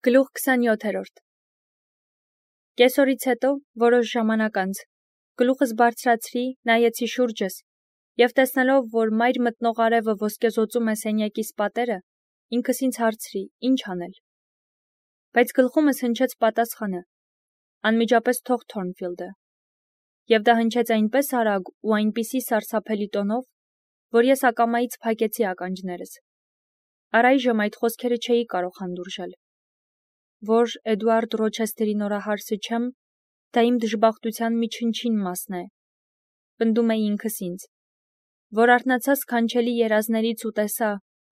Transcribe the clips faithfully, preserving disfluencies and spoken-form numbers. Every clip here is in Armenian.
Գլուխ քսանյոթերորդ Կեսօրից հետո, որոշ ժամանակ անց, գլուխս բարձրացրի, նայեցի շուրջս, և տեսնելով, որ մայր մտնող արևը ոսկեզօծում է սենյակիս պատերը, ինքս ինձ հարցրի, ինչ անել: Բայց գլխումս հնչեց պատասխանը. անմիջապես թող Թորնֆիլդը: Եվ դա հնչեց այնպես արագ ու այնպիսի սարսափելի տոնով, որ ես ակամայից փակեցի ականջներս: Առայժմ այդ խոսքերը չէի կարող հանդուրժել: Որ Էդուարդ Ռոչեսթերի նորահարսը չեմ, դա իմ դժբախտության մի չնչին մասն է, պնդում էի ինքս ինձ: Որ արթնացա սքանչելի երազներից ու տեսա,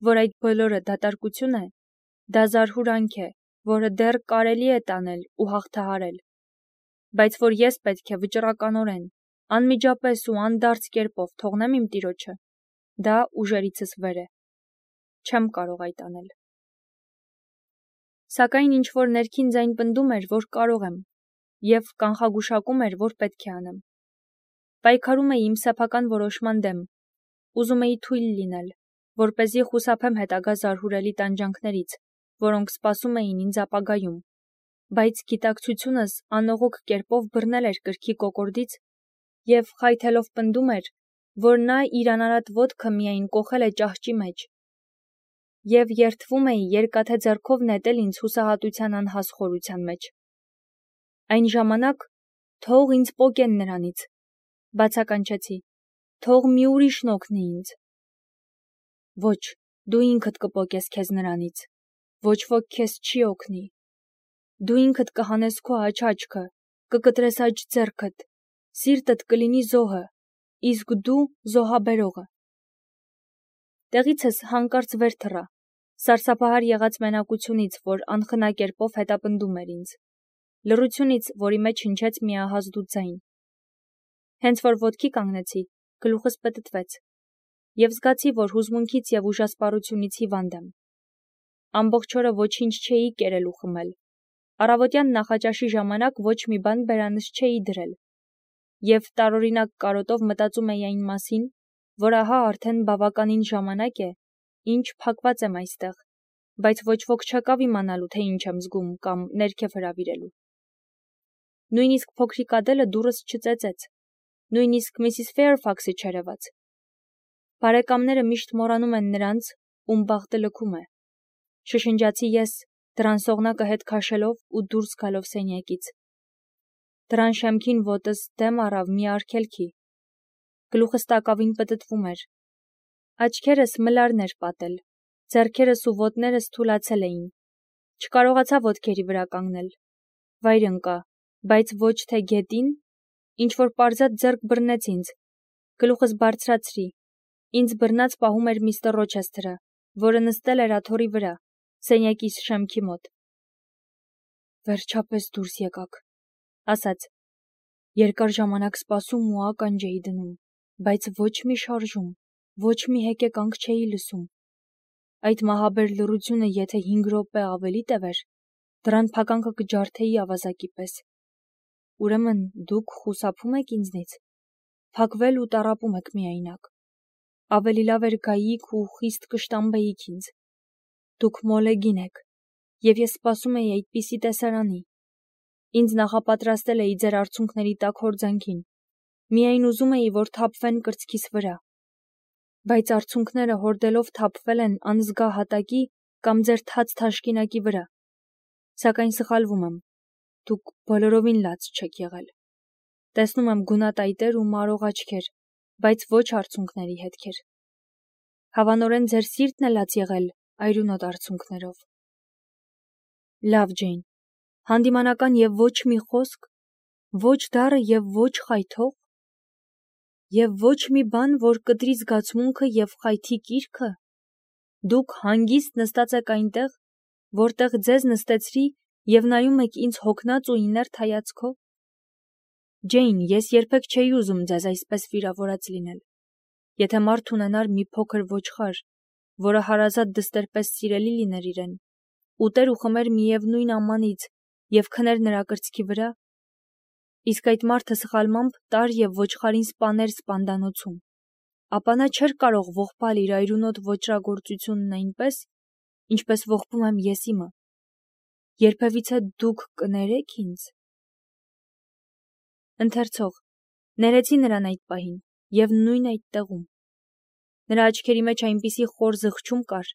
որ այդ բոլորը դատարկություն է, դա զարհուրանք է, որը դեռ կարելի է տանել ու հաղթահարել: Բայց որ ես պետք է վճռականորեն, անմիջապես ու անդարձ կերպով թողնեմ իմ տիրոջը, դա ուժերիցս վեր է: Չեմ կարող այդ անել: Սակայն ինչ-որ ներքին ձայն պնդում էր, որ կարող եմ, և կանխագուշակում էր, որ պետք է անեմ: Պայքարում էի իմ սեփական որոշման դեմ, ուզում էի թույլ լինել, որպեսզի խուսափեմ հետագա զարհուրելի տանջանքներից, որոնք սպասում էին ինձ ապագայում, բայց գիտակցությունս անողոք կերպով բռնել էր կրքի կոկորդից և խայթելով պնդում էր, որ նա իր անարատ ոտքը միայն կոխել է ճահճի մեջ: Եվ երդվում էի երկաթե ձեռքով նետել ինձ հուսահատության անհաս խորության մեջ: Այն ժամանակ թող ինձ պոկեն նրանից, բացականչեցի, թող մի ուրիշն օգնի ինձ: Ոչ, դու ինքդ կպոկես քեզ նրանից, ոչ ոք քեզ չի օգնի: Դու ինքդ կհանես քո աջ աչքը, կկտրես աջ ձեռքդ, սիրտդ կլինի զոհը, իսկ դու զոհաբերողը: Տեղիցս հանկարծ վեր թռա, սարսափահար եղած մենակությունից, որ անխնա կերպով հետապնդում էր ինձ, լռությունից, որի մեջ հնչեց մի ահազդու ձայն: Հենց որ ոտքի կանգնեցի, գլուխս պտտվեց, և զգացի, որ հուզմունքից և ուժասպառությունից հիվանդ եմ: Ամբողջ օրը ոչինչ չէի կերել ու խմել, առավոտյան նախաճաշի ժամանակ ոչ մի բան բերանս չէի դրել, և տարօրինակ կարոտով մտածում էի այն մասին, որ ահա արդեն բավականին ժամանակ է, ինչ փակված եմ այստեղ, բայց ոչ ոք չեկավ իմանալու, թե ինչ եմ զգում կամ ներքև հրավիրելու: Նույնիսկ փոքրիկ Ադելը դուռս չծեծեց, նույնիսկ Միսիս Ֆեյրֆաքսը չերևաց: Բարեկամները միշտ մոռանում են նրանց, ում բախտը լքում է: Շշնջացի ես, դռան սողնակը հետ քաշելով ու դուրս գալով սենյակից: Դռան շեմքին ոտս դեմ առավ մի արգելքի: Գլուխս տակավին պտտվում էր: Աչքերս մլարն էր պատել, ձեռքերս ու ոտներս թուլացել էին: Չկարողացա ոտքերի վրա կանգնել: Վայր ընկա, բայց ոչ թե գետին: Ինչ-որ պարզած ձեռք բռնեց ինձ: Գլուխս բարձրացրի: Ինձ բռնած պահում էր միստր Ռոչեսթերը, որը նստել էր աթոռի վրա, սենյակիս շեմքի մոտ: Վերջապես դուրս եկաք, ասաց: Երկար ժամանակ սպասում ու ականջ էի դնում, բայց ոչ մի շարժում, ոչ մի հեկեկանք չէի լսում: Այդ մահաբեր լռությունը եթե հինգ րոպե ավելի տևեր, դռան փականքը կջարդեի ավազակի պես: Ուրեմն դուք խուսափում եք ինձնից, փակվել ու տառապում եք միայնակ: Ավելի լավ էր գայիք ու խիստ կշտամբեիք ինձ: Դուք մոլեգին եք, և ես սպասում էի այդպիսի տեսարանի: Ինձ նախապատրաստել էի ձեր արցունքների տաք հորձանքին, միայն ուզում էի, որ թափվեն կրծքիս վրա: Բայց արցունքները հորդելով թափվել են անզգա հատակի կամ ձեր թաց թաշկինակի վրա: Սակայն սխալվում եմ, դուք բոլորովին լաց չեք եղել: Տեսնում եմ գունատայտեր ու մարող աչքեր, բայց ոչ արցունքների հետքեր: Հավանորեն ձեր սիրտն է լաց եղել այրունոտ արցունքներով: Լավ, Ջեյն, հանդիմանական և ոչ մի խոսք, ոչ դառը և ոչ խայթող: Եվ ոչ մի բան, որ կտրի զգացմունքը և խայթի կիրքը: Դուք հանգիստ նստած եք այնտեղ, որտեղ ձեզ նստեցրի և նայում եք ինձ հոգնած ու իներտ հայացքով: Ջեյն, ես երբեք չէի ուզում ձեզ այսպես վիրավորած լինել: Եթե մարդ ունենար մի փոքր ոչխար, որը հարազատ դստեր պես սիրելի լիներ իրեն, ուտեր ու խմեր միևնույն ամանից և քներ նրա կրծքի վրա, իսկ այդ մարդը սխալմամբ տար և ոչխարին սպաներ սպանդանոցում, ապա նա չէր կարող ողբալ իր այրունոտ ոճրագործությունն այնպես, ինչպես ողբում եմ ես իմը: երբևիցե դուք կներեք ինձ։ Ընթերցող, ներեցի նրան այդ պահին, և նույն այդ տեղում։ Նրա աչքերի մեջ այնպիսի խոր զղջում կար,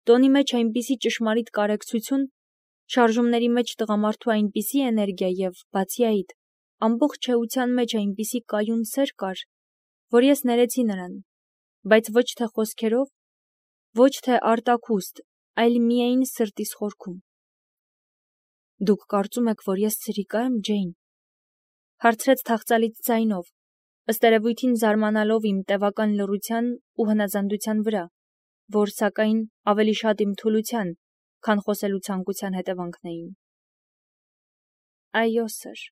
տոնի մեջ այնպիսի ճշմարիտ կարեկցություն, շարժումների մեջ տղամարդու այնպիսի էներգիա և, բացի այդ, ամբողջ էության մեջ այնպիսի կայուն սեր կար, որ ես ներեցի նրան, բայց ոչ թե խոսքերով, ոչ թե արտաքուստ, այլ միայն սրտիս խորքում։ Դուք կարծում եք, որ ես ցրիկա եմ, Ջեյն, հարցրեց թախծալից ձայնով, ըստ երևույթին զարմանալով իմ տևական լռության ու հնազանդության վրա, որ սակայն ավելի շատ իմ թուլության, քան խոսելու ցանկության հետևանքն էին։ Այո, սըր։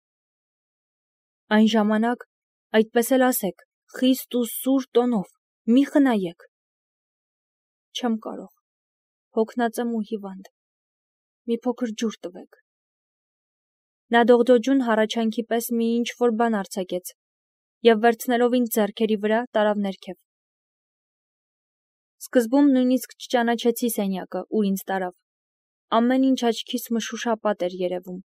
Այն ժամանակ, այդպես էլ ասեք, խիստ ու սուր տոնով, մի խնայեք։ Չեմ կարող, հոգնած եմ ու հիվանդ, մի փոքր ջուր տվեք։ Նա դողդոջուն հառաչանքի պես մի ինչ-որ բան արձակեց և վերցնելով ինձ ձեռքերի վրա տարավ ներքև։ Սկզբում նույնիսկ չճանաչեցի սենյակը, ուր ինձ տարավ։ Ամեն ինչ աչքիս մշուշապատ էր երևում։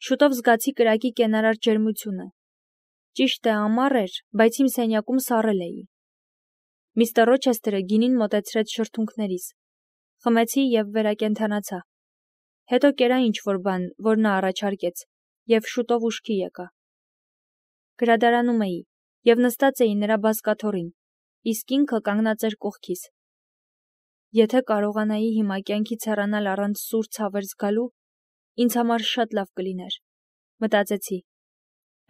Շուտով զգացի կրակի կենարար ջերմությունը։ Ճիշտ է, ամառ էր, բայց իմ սենյակում սառել էի։ Միստր Ռոչեսթերը գինին մոտեցրեց շրթունքներիս։ Խմեցի և վերակենդանացա։ Հետո կերա ինչ-որ բան, որ նա առաջարկեց, և շուտով ուշքի եկա։ Գրադարանում էի և նստած էի նրա բազկաթոռին, իսկ ինքը կանգնած էր կողքիս։ Եթե կարողանայի հիմա կյանքից հեռանալ առանց սուր ցավեր զգալու, ինձ համար շատ լավ կլիներ, մտածեցի։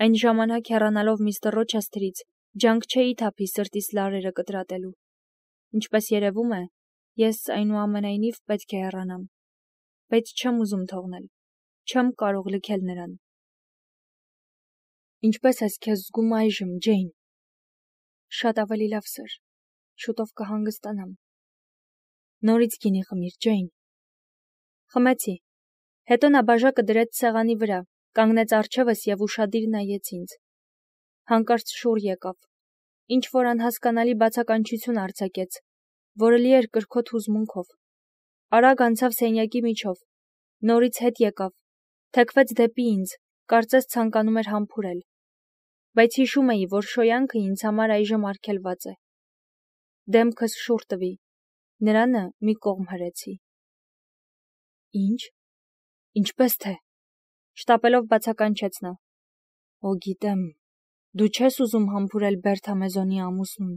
Այն ժամանակ հեռանալով միստր Ռոչեսթերից, ջանք չէի թափի սրտիս լարերը կտրատելու։ Ինչպես երևում է, ես այնուամենայնիվ պետք է հեռանամ, բայց չեմ ուզում թողնել, չեմ կարող լքել նրան։ Ինչպես ես քեզ զգում այժմ, Ջեյն։ Շատ ավելի լավ, սըր, շուտով կհանգստանամ։ Նորից գինի խմիր, Ջեյն։ Խմեցի։ Հետո նա բաժակը դրեց սեղանի վրա, կանգնեց առջևս և ուշադիր նայեց ինձ։ Հանկարծ շուռ եկավ, ինչ-որ անհասկանալի բացականչություն արձակեց, որը լի էր կրքոտ հուզմունքով։ Արագ անցավ սենյակի միջով, նորից հետ եկավ, թեքվեց դեպի ինձ, կարծես ցանկանում էր համբուրել։ Բայց հիշում էի, որ շոյանքը ինձ համար այժմ արգելված է։ Դեմքս շուռ տվի, նրանը մի կողմ հրեցի։ Ինչ։ Ինչպես թե։ Շտապելով բացականչեց նա։ Օ, գիտեմ, դու չես ուզում համբուրել Բերթամեզոնի ամուսնուն։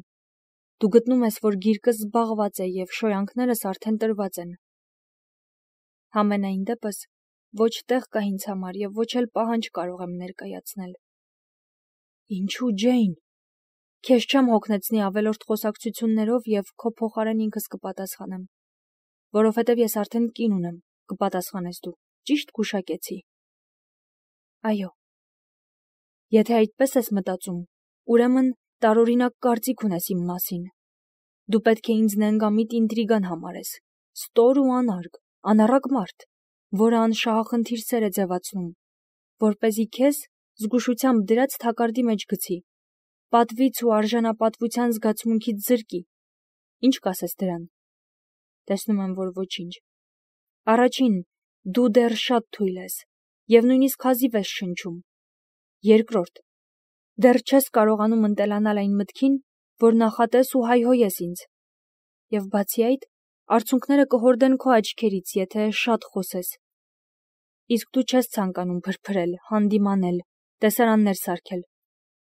Դու գտնում ես, որ գիրկս զբաղված է և շոյանքներս արդեն տրված են։ Համենայն դեպս, ոչ տեղ կա ինձ համար և ոչ էլ պահանջ կարող եմ ներկայացնել։ Ինչու, Ջեյն։ Քեզ չեմ հոգնեցնի ավելորդ խոսակցություններով և քո փոխարեն ինքս կպատասխանեմ։ Որովհետև ես արդեն կին ունեմ, կպատասխանես դու, ճիշտ գուշակեցի։ Այո։ Եթե այդպես ես մտածում, ուրեմն տարօրինակ կարծիք ունես իմ մասին։ Դու պետք է ինձ նենգամիտ ինտրիգան համարես, ստոր ու անարգ, անառակ մարդ, որը անշահախնդիր սեր է ձևացնում, որպեսզի քեզ զգուշությամբ դրած թակարդի մեջ գցի, պատվից ու արժանապատվության զգացմունքից զրկի։ Ինչ կասես դրան։ Տեսնում եմ, որ ոչինչ։ Առաջին, դու դեռ շատ թույլ ես և նույնիսկ հազիվ ես շնչում։ Երկրորդ, դեռ չես կարողանում ընտելանալ այն մտքին, որ նախատես ու հայհոյես ինձ։ Եվ բացի այդ, արցունքները կհորդեն քո աչքերից, եթե շատ խոսես։ Իսկ դու չես ցանկանում փրփրել, հանդիմանել, տեսարաններ սարքել։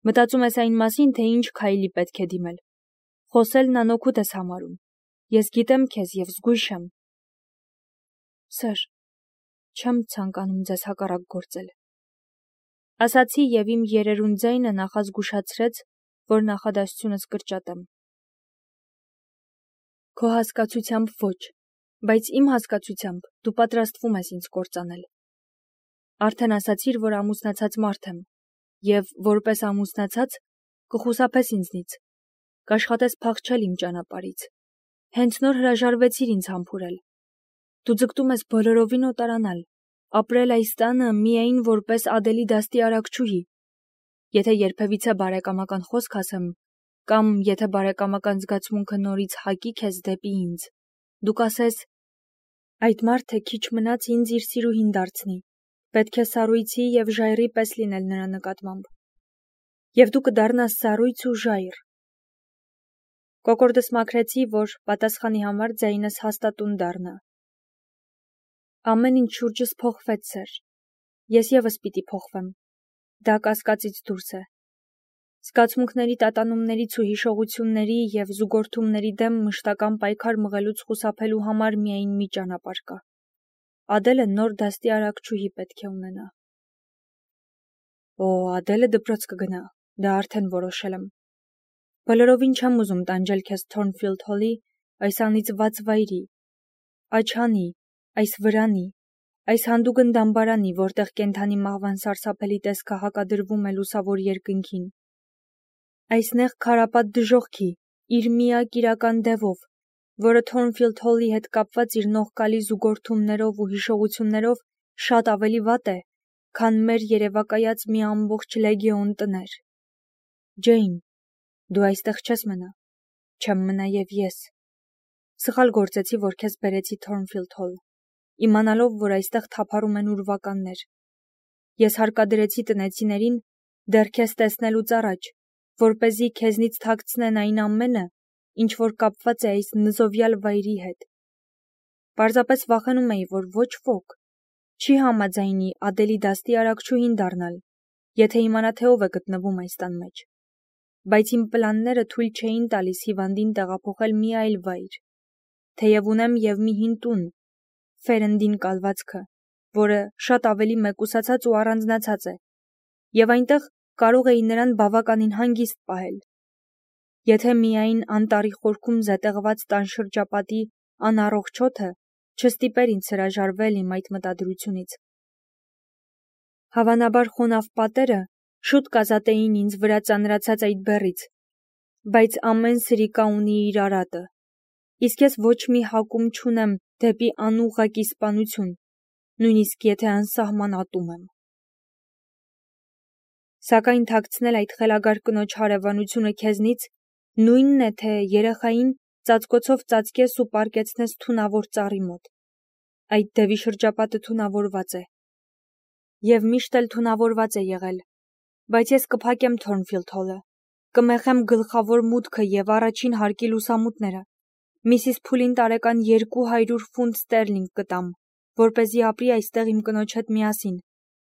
Մտածում ես այն մասին, թե ինչ քայլի պետք է դիմել։ Խոսելն անօգուտ ես համարում։ Ես գիտեմ քեզ և զգույշ եմ։ Սըր, չեմ ցանկանում ձեզ հակառակ գործել։ Ասացի և իմ երերուն ձայնը նախազգուշացրեց, որ նախադասությունս կրճատեմ։ Քո հասկացությամբ ոչ, բայց իմ հասկացությամբ դու պատրաստվում ես ինձ կործանել։ Արդեն ասացիր, որ ամուսնացած մարդ եմ, և որպես ամուսնացած կխուսափես ինձնից, կաշխատես փախչել իմ ճանապարհից։ Հենց նոր հրաժարվեցիր ինձ համբուրել։ Դու ձգտում ես բոլորովին օտարանալ, ապրել այս տանը միայն որպես Ադելի դաստի արարչուհի։ Եթե երբևիցե բարեկամական խոսք ասեմ, կամ եթե բարեկամական զգացմունքը նորից հակի քեզ դեպի ինձ, դու կասես. Այդ մարդը քիչ մնաց ինձ իր սիրուհին դարձնի, պետք է սառույցի և ժայռի պես լինել նրա նկատմամբ։ Եվ դու կդառնաս սառույց ու ժայռ։ Կոկորդս մաքրեցի, որ պատասխանի համար ձայնս հաստատուն դառնա։ Ամեն ինչ շուրջս փոխվեց, սեր։ Ես ևս պիտի փոխվեմ։ Դա կասկածից դուրս է։ Զգացմունքների տատանումներից ու հիշողությունների և զուգորդումների դեմ մշտական պայքար մղելուց խուսափելու համար միայն մի ճանապարհ կա։ Ադելը նոր դաստի արարչուհի պետք է ունենա։ Օ, Ադելը դպրոց կգնա, դա արդեն որոշել եմ։ Բոլորովին չեմ ուզում տանջել քեզ Թորնֆիլդ Հոլի, այս անիծված վայրի, աչանի, այս վրանի, այս հանդուգն դամբարանի, որտեղ կենդանի մահվան սարսափելի տեսքը հակադրվում է լուսավոր երկնքին, այս նեղ քարապատ դժոխքի, իր միակ իրական դևով, որը Թորնֆիլդ Հոլի հետ կապված իր նողկալի զուգորդումներով ու հիշողություններով շատ ավելի վատ է, քան մեր երևակայած մի ամբողջ լեգիոն տներ։ Ջեյն, դու այստեղ չես մնա, չեմ մնա և ես։ Սխալ գործեցի, որ քեզ բերեցի Թորնֆիլդ Հոլ, իմանալով, որ այստեղ թափառում են ուրվականներ։ Ես հարկադրեցի տնեցիներին դեռ քեզ տեսնելուց առաջ, որպեսզի քեզնից թաքցնեն այն ամենը, ինչ որ կապված է այս նզովյալ վայրի հետ։ Պարզապես վախենում էի, որ ոչ ոք չի համաձայնի Ադելի դաստի արարչուհին դառնալ, եթե իմանա, թե ով է գտնվում այս տան մեջ։ Բայց իմ պլանները թույլ չէին տալիս հիվանդին տեղափոխել մի այլ վայր, թեև ունեմ և մի հին տուն, Ֆերնդին կալվածքը, որը շատ ավելի մեկուսացած ու առանձնացած է, և այնտեղ կարող էի նրան բավականին հանգիստ պահել։ Եթե միայն անտառի խորքում զետեղված տան շրջապատի անառողջ օդը չստիպեր ինձ հրաժարվել իմ այդ մտադրությունից։ Հավանաբար խոնավ պատերը շուտ կազատեին ինձ վրա ծանրացած այդ բեռից, բայց ամեն սրիկա ունի իր արատը, իսկ ես ոչ մի հակում չունեմ դեպի անուղղակի սպանություն, նույնիսկ եթե անսահման ատում եմ։ Սակայն թաքցնել այդ խելագար կնոջ հարևանությունը քեզնից նույնն է, թե երեխային ծածկոցով ծածկես ու պառկեցնես թունավոր ծառի մոտ։ Այդ դեպի շրջապատը թունավորված է։ Եվ միշտ էլ թունավորված է եղել, բայց ես կփակեմ Թորնֆիլդ Հոլը, կմեխեմ գլխավոր մուտքը և առաջին հարկի լուսամուտները, Միսիս Փուլին տարեկան երկու հարյուր ֆունտ ստերլինգ կտամ, որպեսզի ապրի այստեղ իմ կնոջ հետ միասին,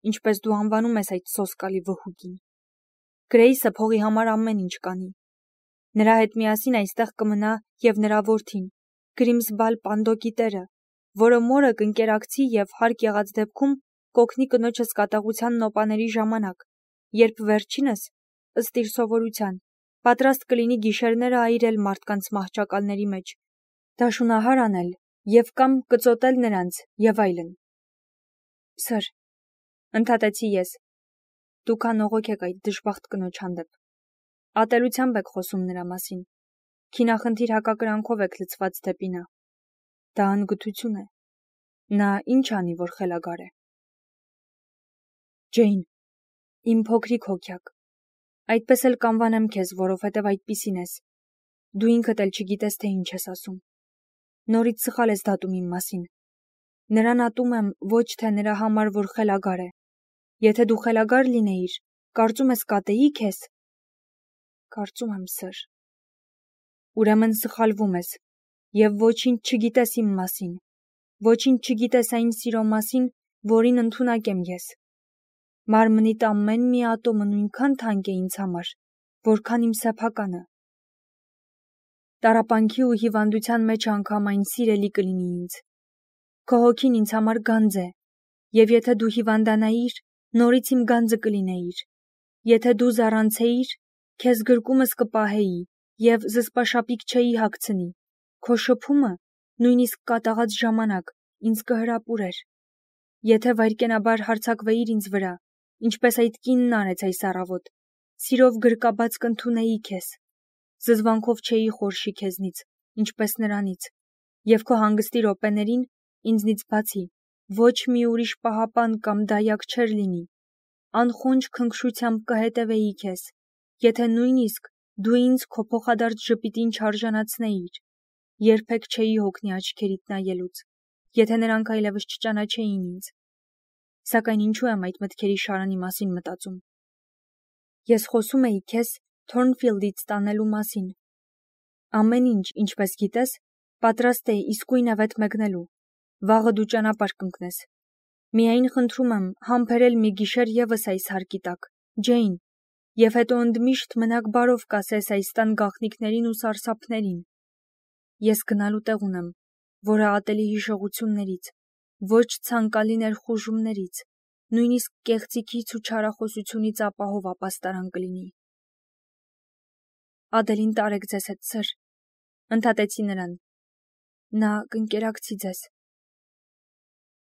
ինչպես դու անվանում ես այդ սոսկալի վհուկին։ Գրեյսը փողի համար ամեն ինչ կանի։ Նրա հետ միասին այստեղ կմնա և նրա որդին, Գրիմսբալ Պանդոկի տերը, որը մորը կընկերակցի և հարկ եղած դեպքում կօգնի կնոջս կատաղության նոպաների ժամանակ, երբ վերջինս, ըստ իր սովորության, պատրաստ կլինի գիշերները այրել մարդկանց մահճակալների մեջ, դաշունահար անել և կամ կծոտել նրանց և այլն։ Սր, ընդհատեցի ես, դուք անողոք եք այդ դժբախտ կնոջ հանդեպ։ Ատելությամբ եք խոսում նրա մասին, քինախնդիր հակակրանքով եք լցված դեպի նա։ Դա անգթություն է։ Նա ինչ անի, որ խելագար է։ Ջեյն, իմ փոքրիկ հոգյակ, այդպես էլ կանվանեմ քեզ, որովհետև այդպիսին ես։ Դու ինքդ էլ չգիտես, թե ինչ ես ասում։ Նորից սխալ ես դատում իմ մասին։ Նրան ատում եմ ոչ թե նրա համար, որ խելագար է։ Եթե դու խելագար լինեիր, կարծում ես կատեի քեզ։ Կարծում եմ, սր։ Ուրեմն սխալվում ես, և ոչինչ չգիտես իմ մասին, ոչինչ չգիտես այն սիրո մասին, որին ընդունակ եմ ես։ Մարմնիդ ամեն մի ատոմը նույնքան թանկ է ինձ համար, որքան իմ սեփականը։ Տառապանքի ու հիվանդության մեջ անգամ այն սիրելի կլինի ինձ։ Քո հոգին ինձ համար գանձ է, և եթե դու հիվանդանայիր, նորից իմ գանձը կլինեիր։ Եթե դու զառանցեիր, քեզ գրկումս կպահեի և զսպաշապիկ չէի հագցնի, քո շփումը, նույնիսկ կատաղած ժամանակ, ինձ կհրապուրեր։ Եթե վայրկենաբար հարձակվեիր ինձ վրա, ինչպես այդ կինն արեց այս առավոտ, սիրով գրկաբաց կընդունեի քեզ, զզվանքով չէի խորշի քեզնից, ինչպես նրանից, և քո հանգստի րոպեներին ինձնից բացի ոչ մի ուրիշ պահապան կամ դայակ չէր լինի, անխոնջ քնքշությամբ կհետևեի քեզ, եթե նույնիսկ դու ինձ քո փոխադարձ ժպիտին չարժանացնեիր, երբեք չէի հոգնի աչքերիդ նայելուց, եթե նրանք այլևս չճանաչեին ինձ։ Սակայն ինչու եմ այդ մտքերի շարանի մասին մտածում։ Ես խոսում էի քեզ Թորնֆիլդից տանելու մասին։ Ամեն ինչ, ինչպես գիտես, պատրաստ է իսկույն ավետ մեկնելու։ Վաղը դու ճանապարհ կընկնես։ Միայն խնդրում եմ համբերել մի գիշեր ևս այս հարկի տակ, Ջեյն, եւ հետո ընդմիշտ մնաք բարով կասես այս տան գաղտնիքներին ու սարսափներին։ Ես գնալու տեղ ունեմ, որը ատելի հիշողություններից, ոչ ցանկալի ներխուժումներից, նույնիսկ կեղծիքից ու չարախոսությունից ապահով ապաստարան կլինի։ Ադելին տարեք ձեզ հետ, սըր, ընդհատեցի նրան։ Նա կընկերակցի ձեզ։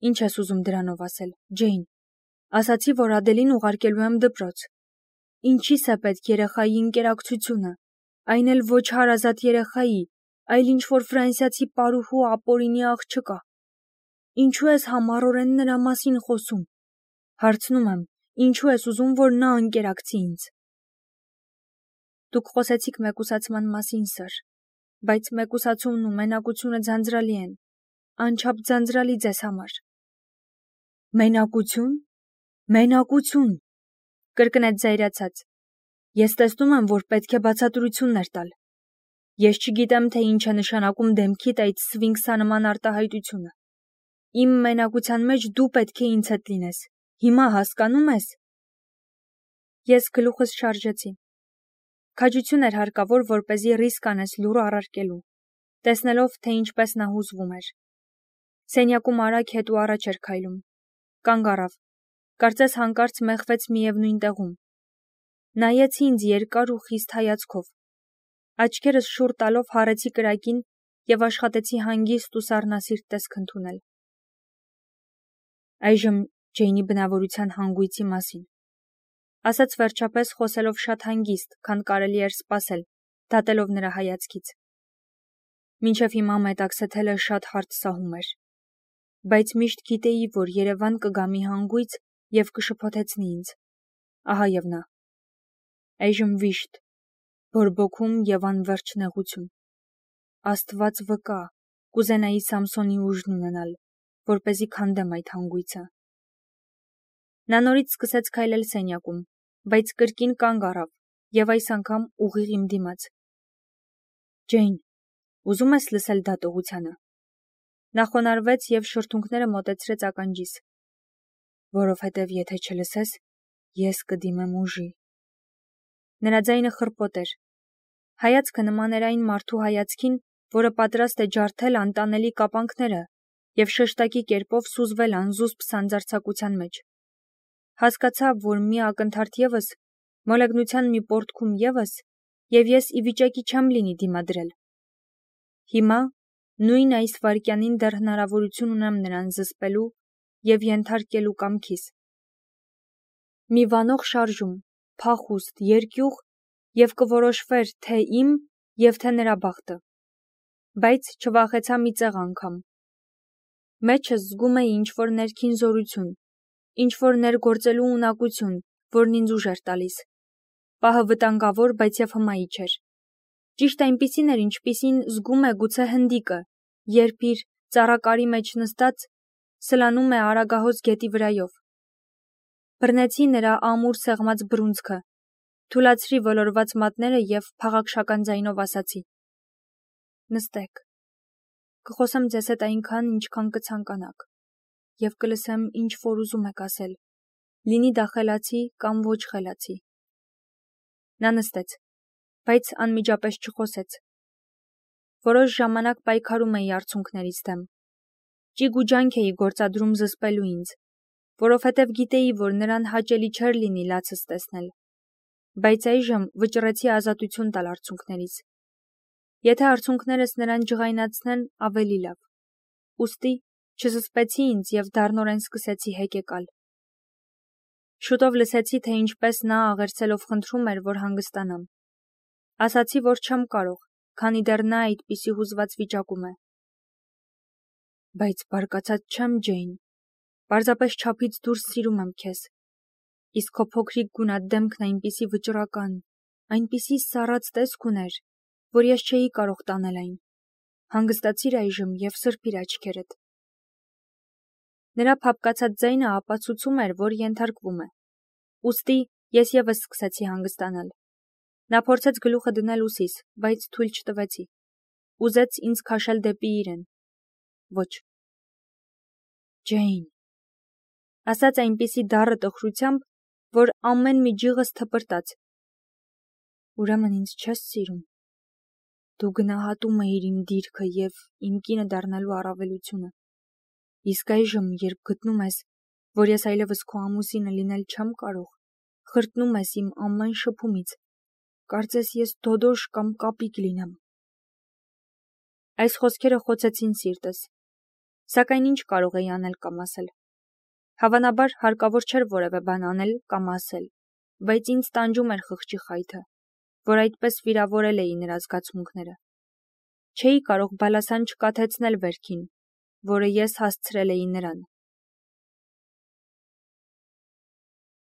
Ինչ ես ուզում դրանով ասել, Ջեյն։ Ասացի, որ Ադելին ուղարկելու եմ դպրոց։ Ինչի՞ս է պետք երեխայի ընկերակցությունը, այն էլ ոչ հարազատ երեխայի, այլ ինչ-որ ֆրանսիացի պարուհու ապօրինի աղջկա։ Ինչու ես համառորեն նրա մասին խոսում։ Հարցնում եմ, ինչու ես ուզում, որ նա ընկերակցի ինձ։ Դուք խոսեցիք մեկուսացման մասին, սըր, բայց մեկուսացումն ու մենակությունը ձանձրալի են, անչափ ձանձրալի ձեզ համար։ Մենակություն։ Մենակություն, կրկնեց զայրացած։ Ես տեսնում եմ, որ պետք է բացատրություններ տալ։ Ես չգիտեմ, թե ինչ է նշանակում դեմքիդ այդ սվինքսանման արտահայտությունը։ Իմ մենակության մեջ դու պետք է ինձ հետ լինես։ Հիմա հասկանում ես։ Ես գլուխս շարժեցի։ Քաջություն էր հարկավոր, որպեսզի ռիսկ անես լուռ առարկելու, տեսնելով, թե ինչպես նա հուզվում էր։ Սենյակում արագ հետ ու առաջ էր քայլում։ Կանգ առավ։ Կարծես հանկարծ մեղվեց միևնույն տեղում։ Նայեց ինձ երկար ու խիստ հայացքով։ Աչքերս շուռ տալով հառեցի կրակին եւ աշխատեցի հանգիստ ու սառնասիրտ տեսք ընդունել։ Այժմ Ջեյնի բնավորության հանգույցի մասին, ասաց վերջապես խոսելով շատ հանգիստ, քան կարելի էր սպասել, դատելով նրա հայացքից։ Մինչև հիմա մետաքսը թելը շատ հարթ սահում էր, բայց միշտ գիտեի, որ Երևան կգա մի հանգույց եւ կշփոթեցնի ինձ։ Ահա եւ նա։ Այժմ վիշտ, բորբոքում եւ անվերջ նեղություն։ Աստված վկա, կուզենայի Սամսոնի ուժն ունենալ, որպեսզի քանդեմ այդ հանգույցը։ Նա նորից սկսեց քայլել սենյակում, բայց կրկին կանգ առավ եւ այս անգամ ուղիղ իմ դիմաց։ Ջեյն, ուզում ես լսել դատողությանը։ Նա խոնարհվեց եւ շրթունքները մոտեցրեց ականջիս։ Որովհետև եթե չլսես, ես կդիմեմ ուժի։ Նրա ձայնը խռպոտ էր։ Հայացքը նման էր այն մարդու հայացքին, որը պատրաստ է ջարդել անտանելի կապանքները եւ շեշտակի կերպով սուզվել անզուսպ սանձարձակության մեջ։ Հասկացա, որ մի ակնթարթ ևս, մոլեգնության մի պոռթկում ևս, եւ ես ի վիճակի չեմ լինի դիմադրել։ Հիմա, նույն այս վայրկյանին դեռ հնարավորություն ունեմ նրան զսպելու եւ ենթարկելու կամքիս։ Մի վանող շարժում, փախուստ, երկյուղ եւ կորոշվեր թե իմ եւ թե նրա բախտը։ Բայց չվախեցա մի ծեղ անգամ։ Մեջս զգում էի ինչ-որ ներքին զորություն, ինչ-որ ներգործելու ունակություն, որն ինձ ուժ էր տալիս։ Պահը վտանգավոր, բայց եւ հմայի չէր։ Ճիշտ այնպիսին էր, ինչպիսին զգում է գուցե հնդիկը, երբ իր ծառակարի մեջ նստած սլանում է արագահոս գետի վրայով։ Բռնեցի նրա ամուր սեղմած բռունցքը, թուլացրի ոլորված մատները եւ փաղաքշական ձայնով ասացի. Նստեք։ Կխոսեմ ձեզ հետ այնքան, ինչքան կցանկանաք, եւ կլսեմ, ինչ որ ուզում եք ասել, լինի դա խելացի կամ ոչ խելացի։ Նա նստեց, բայց անմիջապես չխոսեց։ Որոշ ժամանակ պայքարում էի արցունքներիս դեմ։ Ճիգ ու ջանք էի գործադրում զսպելու ինձ, որովհետև գիտեի, որ նրան հաճելի չէր լինի լացս տեսնել, բայց այժմ վճռեցի ազատություն տալ արցունքներից։ Եթե արցունքներս նրան ջղայնացնեն, ավելի լավ։ Ուստի չզսպեցի ինձ եւ դառնորեն սկսեցի հեկեկալ։ Շուտով լսեցի, թե ինչպես նա աղերսելով խնդրում էր, որ հանգստանամ։ Ասացի, որ չեմ կարող, քանի դեռ նա այդպիսի հուզված վիճակում է։ Բայց բարկացած չեմ, Ջեյն, պարզապես չափից դուրս սիրում եմ քեզ։ Իսկ քո փոքրիկ գունատ դեմքն այնպիսի վճռական, այնպիսի սառած տեսք ուներ, որ ես չէի կարող տանել այն։ Հանգստացիր այժմ եւ սրբիր աչքերդ։ Նրա փափկացած ձայնը ապացուցում էր, որ ենթարկվում է։ Ուստի ես ևս սկսեցի հանգստանալ։ Նա փորձեց գլուխը դնել ուսիս, բայց թույլ չտվեցի։ Ուզեց ինձ քաշել դեպի իրեն։ Ոչ։ Ջեյն, ասաց այնպիսի դառը տխրությամբ, որ ամեն մի ջիղս թպրտաց։ Ուրեմն ինձ չես սիրում։ Դու գնահատում էիր իմ դիրքը և իմ կինը դառնալու առավելությունը։ Իսկ այժմ, երբ գտնում ես, որ ես այլևս քո ամուսինը լինել չեմ կարող, խրտնում ես իմ ամեն շփումից, կարծես ես դոդոշ կամ կապիկ լինեմ։ Այս խոսքերը խոցեցին սիրտս, սակայն ինչ կարող էի անել կամ ասել։ Հավանաբար հարկավոր չէր որևէ բան անել կամ ասել, բայց ինձ տանջում էր խղճի խայթը, որ այդպես վիրավորել էի նրա զգացմունքները։ Չէի կարող բալասան չկաթեցնել վերքին, որը ես հասցրել էի նրան։